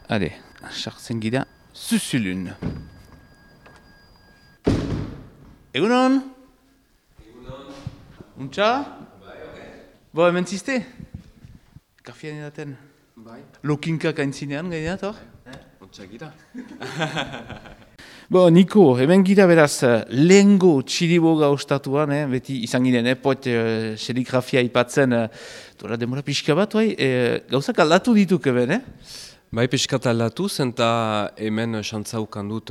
Hale, sartzen gira, Zuzulun. Egunon? Egunon. Untxa? Bai, Bo, hemen ziste? Kafian edaten? Bai. Lokinkak aintzinean gaineat, hor? Untxa gira. Bo, Niko, hemen gira beraz, lehengo txiriboga ostatuan, beti izan ginen, pot serigrafia ipatzen, dola demora pixka bat, gauzak aldatu dituk eben, Bai, pixkat aldatuz, eta hemen xantzaukan dut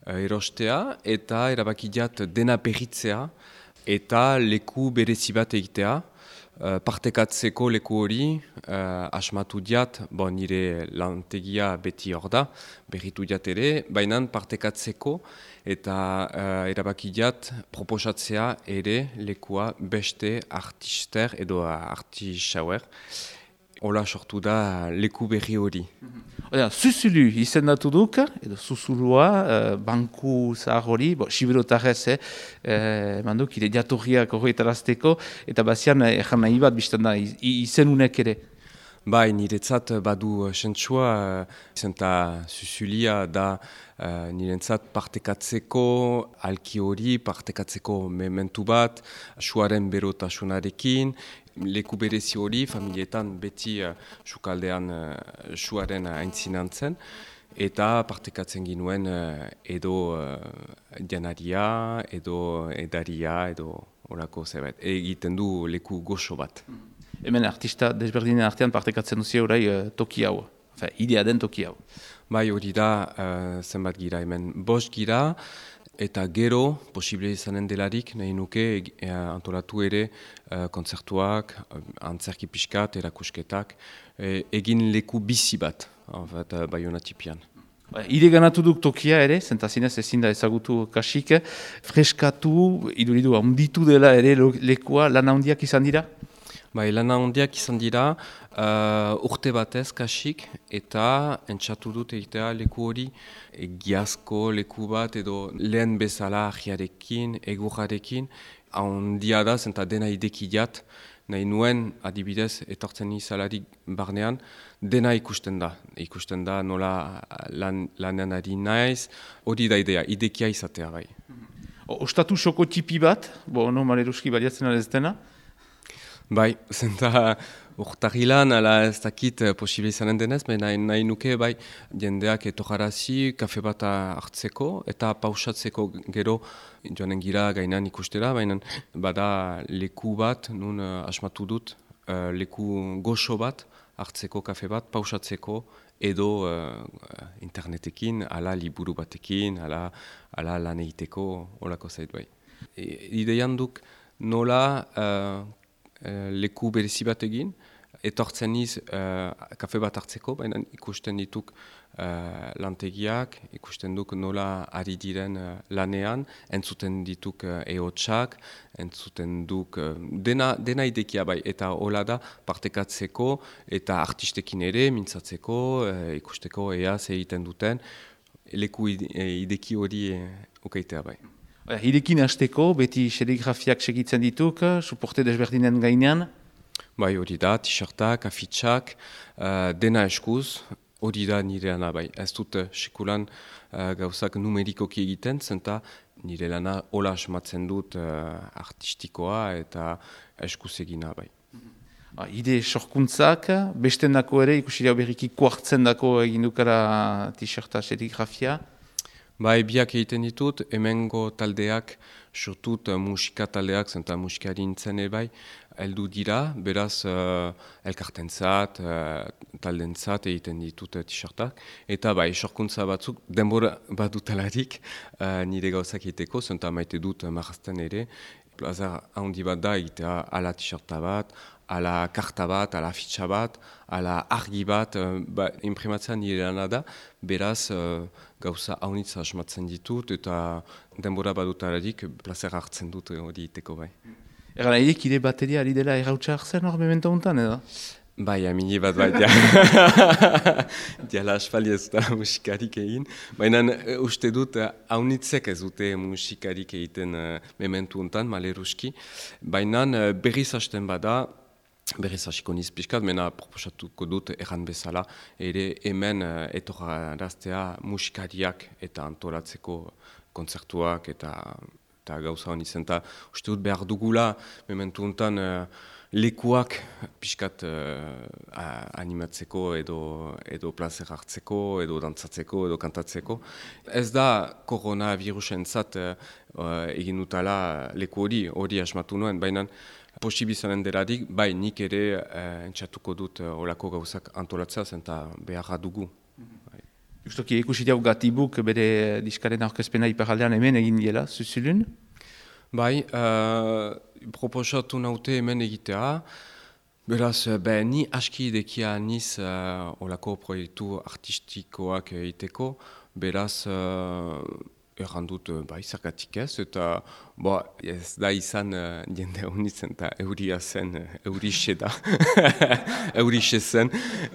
erostea, eta erabakidiat dena berritzea, eta leku berezi bat egitea. Partekatzeko leku hori, asmatu diat, nire lantegia beti hor da, berritu diat ere, baina partekatzeko eta erabakidiat proposatzea ere lekua beste artister edo artisauer. Hola sortu da leku berri hori. Zuzulu izendatu duk, edo Zuzulua, banku zahar hori, siberotarrez, manduk, ire jatorriak horretarazteko, eta bazian erran nahi bat biztan da, izenunek ere. Bai, niretzat badu sentsua, izenta Zuzulia da niretzat partekatzeko alki hori, partekatzeko mementu bat, suaren berotasunarekin, leku berezi hori, familietan beti sukaldean suaren aintzinantzen, eta partekatzen ginuen edo janaria, edo edaria, edo horako zerbait. Egiten du leku goxo bat. Hemen artista desberdinen artean partekatzen duzia orai toki hau, idea den toki hau. Bai, hori da zenbat gira hemen. 5 gira, eta gero, posible izanen delarik, nahi nuke antolatu ere kontzertuak, antzerki pixkat, erakusketak, egin leku bizi bat, Baionatipian. Ide ganatu duk tokia ere, zentazinez ezin da ezagutu kasik, freskatu, iduridu handitu dela ere lekua, lan handiak izan dira? Bai, lan handiak izan dira, urte batez kasik, eta entzatu dut egitea leku hori giazko leku bat edo lehen bezala ahiarekin, egurrarekin, handia da, zenta dena idekidiat, nahi nuen adibidez etortzen izalarik barnean, dena ikusten da nola lanean ari naiz, hori da idea, idekia izatea bai. Ostatu soko tipi bat, maleruski baliatzen ez dena? Bai, zenta urtahilan, ala ez dakit posible izanen denez, nahi nuke bai jendeak etorarazi, kafe bat hartzeko eta pausatzeko gero joanen gira gainan ikustera, baina bada leku bat, nun asmatu dut, leku goxo bat hartzeko kafe bat, pausatzeko edo internetekin, ala liburu batekin, ala lan egiteko, holako zait bai. Ideian duk nola leku berezi bat egin, etortzen niz kafe bat hartzeko, baina ikusten dituk lantegiak, ikusten duk nola ari diren lanean, entzuten dituk ehotsak, entzuten duk dena idekia bai, eta hola da partekatzeko eta artistekin ere mintzatzeko, ikusteko ea ze egiten duten, leku ideki hori ukaitea bai. Hirekin hasteko, beti serigrafiak segitzen dituk, suporte desberdinen gainean? Bai, hori da, t-shirtak, afitxak, dena eskuz, hori da nire lana bai. Ez dut sekulan gauzak numerikoki egiten, zenta nire lana hola asmatzen dut artistikoa eta eskuz egina bai. Ide sorkuntzak, beste nako ere, ikusirea berriki kuartzen dako egin dukara t-shirta serigrafia? Bai, biak egiten ditut, hemengo taldeak, sortut musika taldeak, zenta musikari nintzen bai, heldu dira, beraz elkartentzat, taldentzat egiten ditut t-shirtak. Eta bai, sorkuntza batzuk, denbora bat dutalarik nire gauzak egiteko, zenta maite dut marrazten ere. Plazar handi bat da egitea ala t-shirta bat, ala karta bat, ala afitxa bat, ala argi bat, imprimatzen nire lana da, beraz gauza haunitza asmatzen ditut eta denbora badutararik plazer hartzen dut hori iteko bai. Egan nahirik ide bateria ari dela errautsa hartzen hor memento honetan edo? Bai, amini bat bai, diala aspali ez da musikarik egin. Baina uste dut haunitzek ez dute musikarik egiten mementu honetan, maleruski. Baina berriz hasten bada, berriz hasiko niz pixkat, mena proposatuko dut erran bezala, ere hemen etorraraztea musikariak eta antolatzeko kontzertuak eta gauza honi zen. Uste dut behar dugula, mementu honetan lekuak pixkat animatzeko edo plazer hartzeko, edo dantzatzeko, edo kantatzeko. Ez da koronavirusen zat egin dutala leku hori asmatu nuen, baina posibizanen delarik, bai nik ere entxatuko dut olako gauzak antolatzea zen eta beharra dugu. Justoki ikusi diau Gatibuk bere diskaren aurkezpena iparaldean hemen egin diela, zuzulun? Bai, proposatu naute hemen egitea. Beraz, ni aski idekia niz olako proiektu artistikoak egiteko. Beraz, errandut zergatik ez, eta ez da izan jende honitzen eta euria zen, eurixe da, eurixe zen.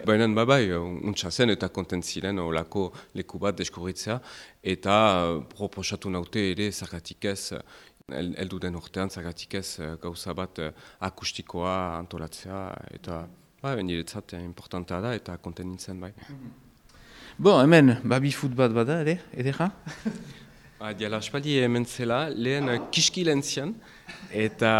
Baina untsa zen eta kontent ziren olako leku bat deskubritzea, eta proposatu naute ere zergatik ez, heldu den urtean zergatik ez gauza bat akustikoa antolatzea, eta niretzat importantea da eta kontent nintzen bai. Hemen, babi-foot bat bada, edera? Diala aspaldi hemen zela, lehen kiskilentzian, eta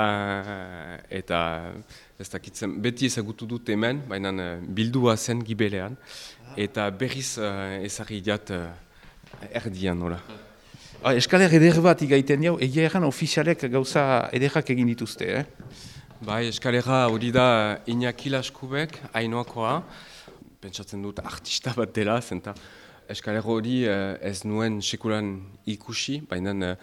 ez dakitzen, beti ezagutu dut hemen, baina bildua zen gibelean, eta berriz ezagri diat erdian, nola. Eskaler eder bat igaiten jau, egia erran ofizialek gauza ederrak egin dituzte, eskalera hori da Iñaki Laskubek, Ainoakoa, pentsatzen dut artista bat dela, zenta eskaler hori ez nuen sekulan ikusi, baina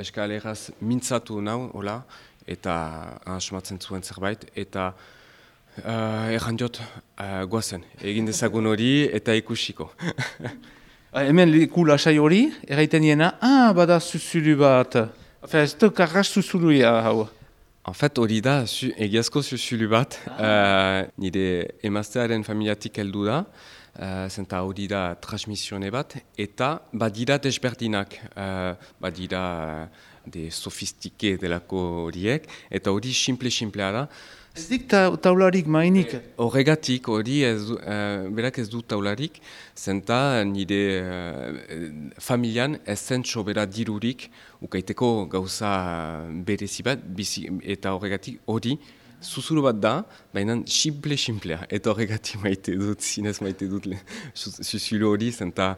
eskaleraz mintzatu nau, hola, eta asmatzen zuen zerbait, eta erran diot guazen, egin dezagun hori eta ikusiko. Hemen leku lasai hori, erraiten diena, bada zuzulu bat, ez duk arras zuzuluia hau. En fait, hori da egiazko zuzulu bat, nire emaztearen familiatik heldu da, zenta hori da transmisione bat, eta badira desberdinak, badira de sofistike delako horiek, eta hori simplea da. Ez dik taularik mainik? Horregatik, hori berak ez du taularik, zenta nire familian ez zen sobera dirurik, ukaiteko gauza berezi bat, eta horregatik hori, zuzuru bat da, baina simplea, eta horregatik maite dut, zinez maite dut zuzulu hori, zenta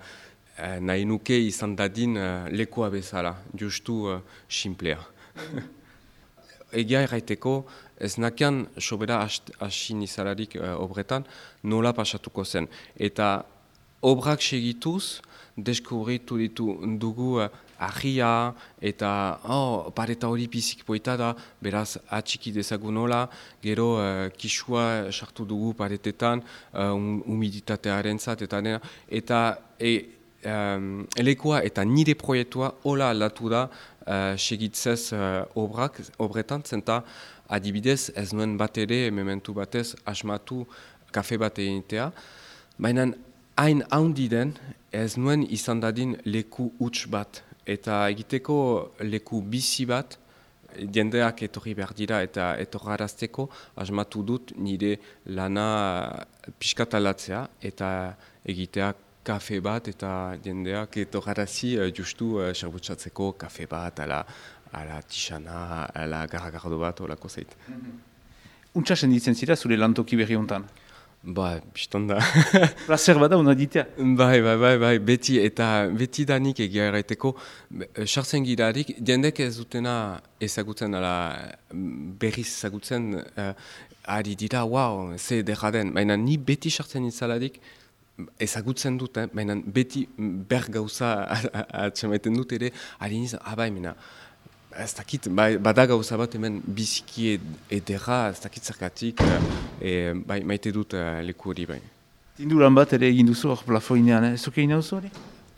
nahi nuke izan dadin lekoa bezala, justu simplea. Egia erraiteko, ez nakian sobera hasi nizalarik obretan nola pasatuko zen. Eta obrak segituz, deskubritu dugu ahia eta pareta hori pizik poita da, beraz atxiki dezagun nola, gero kisua sartu dugu paretetan, humiditatearen zat, eta elekoa eta nire proiektua hola aldatu da segitzez obretan, zenta adibidez ez nuen bat ere, mementu batez, asmatu kafe bat egitea, baina hain handi den ez nuen izan dadin leku huts bat, eta egiteko leku bizi bat, jendeak etorri behar dira eta etorrarazteko, asmatu dut nire lana piskatalatzea eta egitea kafe bat eta jendeak etorrarazi justu serbutsatzeko kafe bat, ala tixana, ala garragardo bat, olako zeit. Untsa senditzen zira zure lantoki berri hontan? Bistan da. Plazer bada hona ditea? Bai, beti danik egia erraiteko, sartzen girarik, jendek ez dutena ezagutzen, berriz ezagutzen, ari dira, ze derraden, baina ni beti sartzen itzalarik, ezagutzen dut, baina beti ber gauza atxamaiten dut ere, ari nizan, mena, ez dakit, bada gauza bat hemen biziki ederra, ez dakit zergatik, maite dut leku hori bai. Tinduran bat ere egin duzu hor plafoinean, ez zuke egin duzu hori?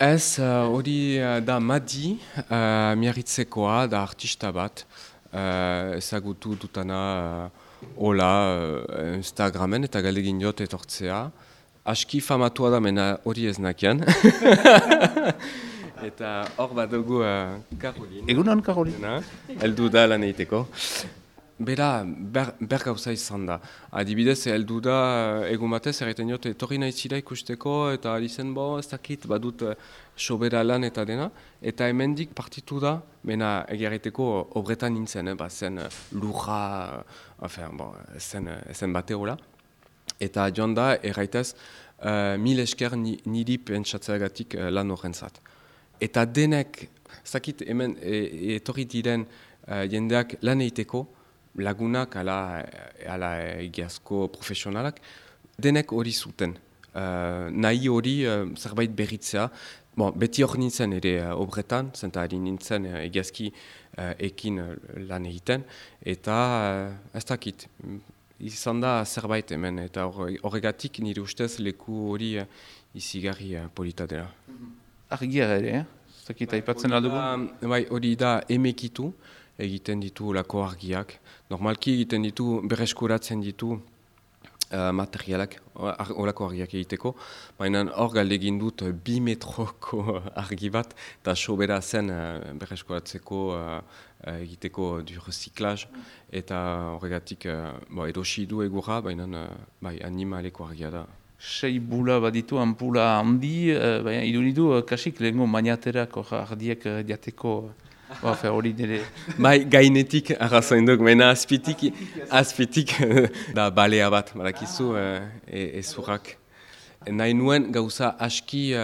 Ez, hori da Madi, miarritzekoa, da artista bat, ezagutu dutana hola Instagramen eta galdegin jot etortzea. Aski famatua da, mena hori ez nakian. Eta hor bat dugu Karolin. Egunon, Karolin. Eldu da lan egiteko. bera ber gauza izan da. Adibidez, heldu da egun batez, erraiten jot, etorri nahi zira ikusteko, eta ari zen, ez dakit, badut sobera lan eta dena, eta hemendik partitu da, mena egiarreteko obretan nintzen, zen lurra, zen bate hola. Eta joan da, erraitez, 1000 esker niri pentsatzeagatik lan horrentzat. Eta denek, ez dakit, hemen etorri diren jendeak lan egiteko, lagunak ala egiazko profesionalak, denek hori zuten. Nahi hori zerbait berritzea. Beti hor nintzen ere obretan, zenta ari nintzen egiazki ekin lan egiten, eta ez dakit, izan da zerbait hemen, eta horregatik nire ustez leku hori izigarri polita dela. Argia ere, ez dakit, aipatzen aldugu? Bai, hori da emekitu, egiten ditu lako argiak. Normalki egiten ditu, berreskuratzen ditu materialak, olako argiak egiteko. Baina hor galdegin dut 2 metroko argi bat, eta sobera zen berreskuratzeko egiteko du recyclage, eta horregatik erosi du egurra, baina animaleko argia da. 6 bula baditu, ampula handi, baina iduridu kasik lehenko maniaterak ardiek diateko. Hori nire. Gainetik arrazoin duk, mena azpitik da balea bat, barakizu ezurrak. Nahi nuen gauza aski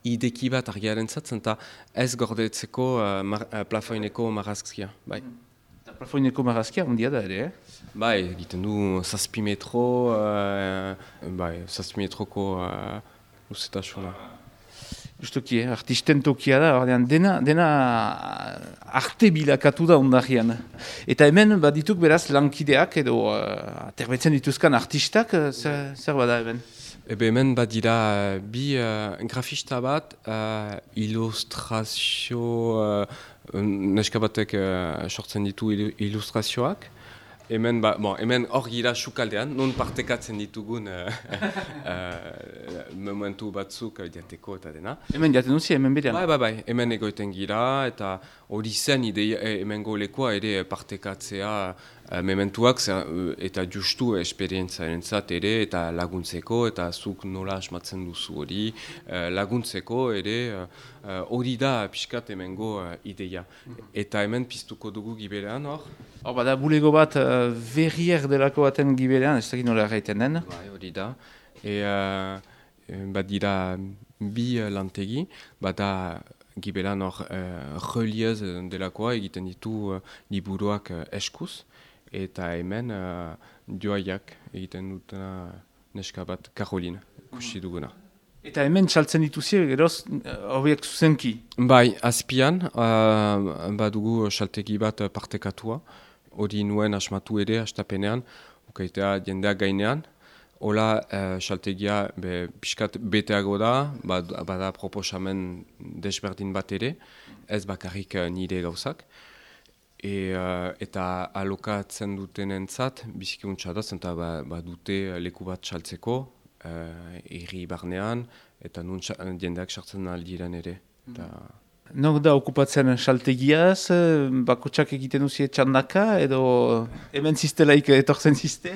ideki bat argiaren zatzen, eta ez gordetzeko plafoineko marrazkia. Plafoineko marrazkia handia da ere, egiten du 6 metro, 6 metroko luzetasuna. Justuki, artisten tokia da, dena arte bilakatu da ondarean. Eta hemen badituk beraz lankideak edo aterbetzen dituzkan artistak, zer bada hemen? Hemen badira bi grafista bat, ilustrazio, neska batek sortzen ditu ilustrazioak. Hemen hor gira sukaldean, non partekatzen ditugun momentu batzuk diateko eta dena. Hemen jaten duzi, hemen berean? Bai, hemen egoiten gira, eta hori zen hemen golekoa ere partekatzea mementuak, eta justu esperientziaren zat ere, eta laguntzeko, eta zuk nola asmatzen duzu hori, laguntzeko ere, hori da pixkat hemengo ideia. Eta hemen piztuko dugu Giberean hor. Bada bulego bat verrier delako baten Giberean, ez dakit nola erraiten den. Hori da. Badira bi lantegi, bada Giberean hor reliez delakoa egiten ditu liburuak eskuz, eta hemen joaiak egiten dutena neska bat Karolin, ikusi duguna. Eta hemen txaltzen dituzie, geroz, horiek zuzenki? Azpian, badugu saltegi bat partekatua, hori nuen asmatu ere, astapenean, ukaitea jendeak gainean, hola saltegia pixkat beteago da, bada proposamen desberdin bat ere, ez bakarrik nire gauzak, eta alokatzen dutenentzat bizikuntza da, zenta badute leku bat saltzeko, herri barnean, eta nun jendeak sartzen aldiren ere. Nok da okupatzen saltegiaz, bakotsak egiten duzie txandaka, edo hemen ziztelaik etortzen zizte?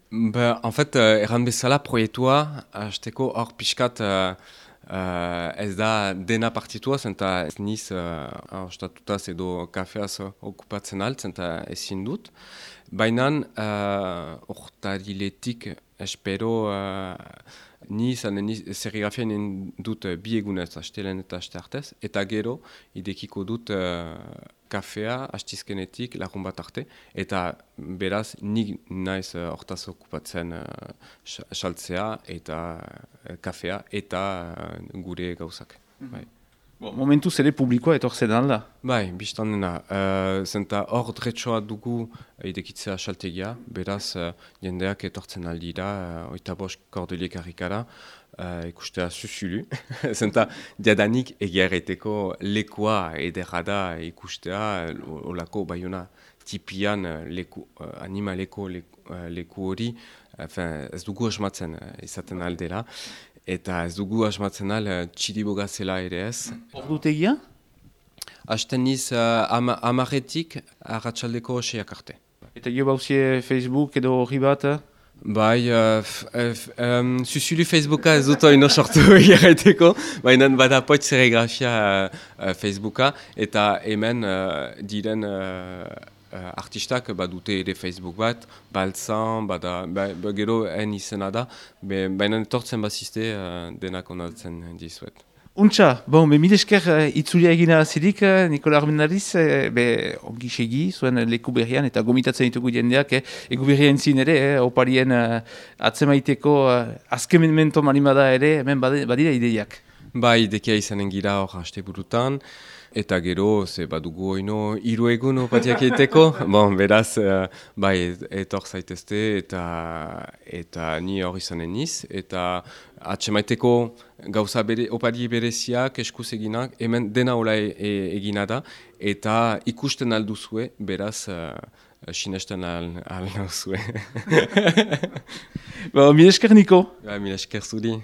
En fait, erran bezala proiektua, hasteko hor pixkat ez da dena partitua, zenta ez niz ostatutaz edo kafeaz okupatzen alt, zenta ezin dut. Baina hortariletik espero ni serigrafian dut bi egunez, astelen eta aste artez, eta gero idekiko dut kafea astizkenetik lagun bat arte, eta beraz nik naiz hortaz okupatzen saltzea eta kafea eta gure gauzak. Momentuz ere publikoa etortzen da? Biztan dena. Zenta hor dretsoa dugu idekitzea saltegia, beraz jendeak etortzen aldira, 85 kordeliek harrikara, ikustea zuzulu. Zenta diadanik egiarreteko lekoa ederra da ikustea, olako baiona tipian animaleko leku hori, ez dugu asmatzen izaten aldera. Eta ez dugu asmatzen txiriboga zela ere ez. Ordutegia? Hasten niz 10 arratsaldeko 6 arte. Eta jo bauzie Facebook edo horri bat? Bai, zuzulu Facebooka ez dut oino sortu egiteko, baina bada poit serigrafia Facebooka, eta hemen diren artistak badute ere Facebook bat, baltzan, gero izena da, baina etortzen bazizte denak onatzen dizuet. Untxa, mil esker itzulia egina zirik, Nikola Armendariz, ongi segi, zuen leku berrian, eta gomitatzen ditugu jendeak, egu berrian zin ere, oparien atzemaiteko azkemenmento marimada ere, hemen badira ideiak. Bai, idekia izanen gira hor haste burutan, eta gero, ze badugu oino, 3 egun opatiak egiteko, beraz, bai, etor zaitezte, eta ni hor izanen niz, eta atsemaiteko gauza opari bereziak, eskuz eginak, hemen dena hola egina da, eta ikusten alduzue, beraz, sinesten alnauzue. Mil esker, Niko. Mil esker zuri.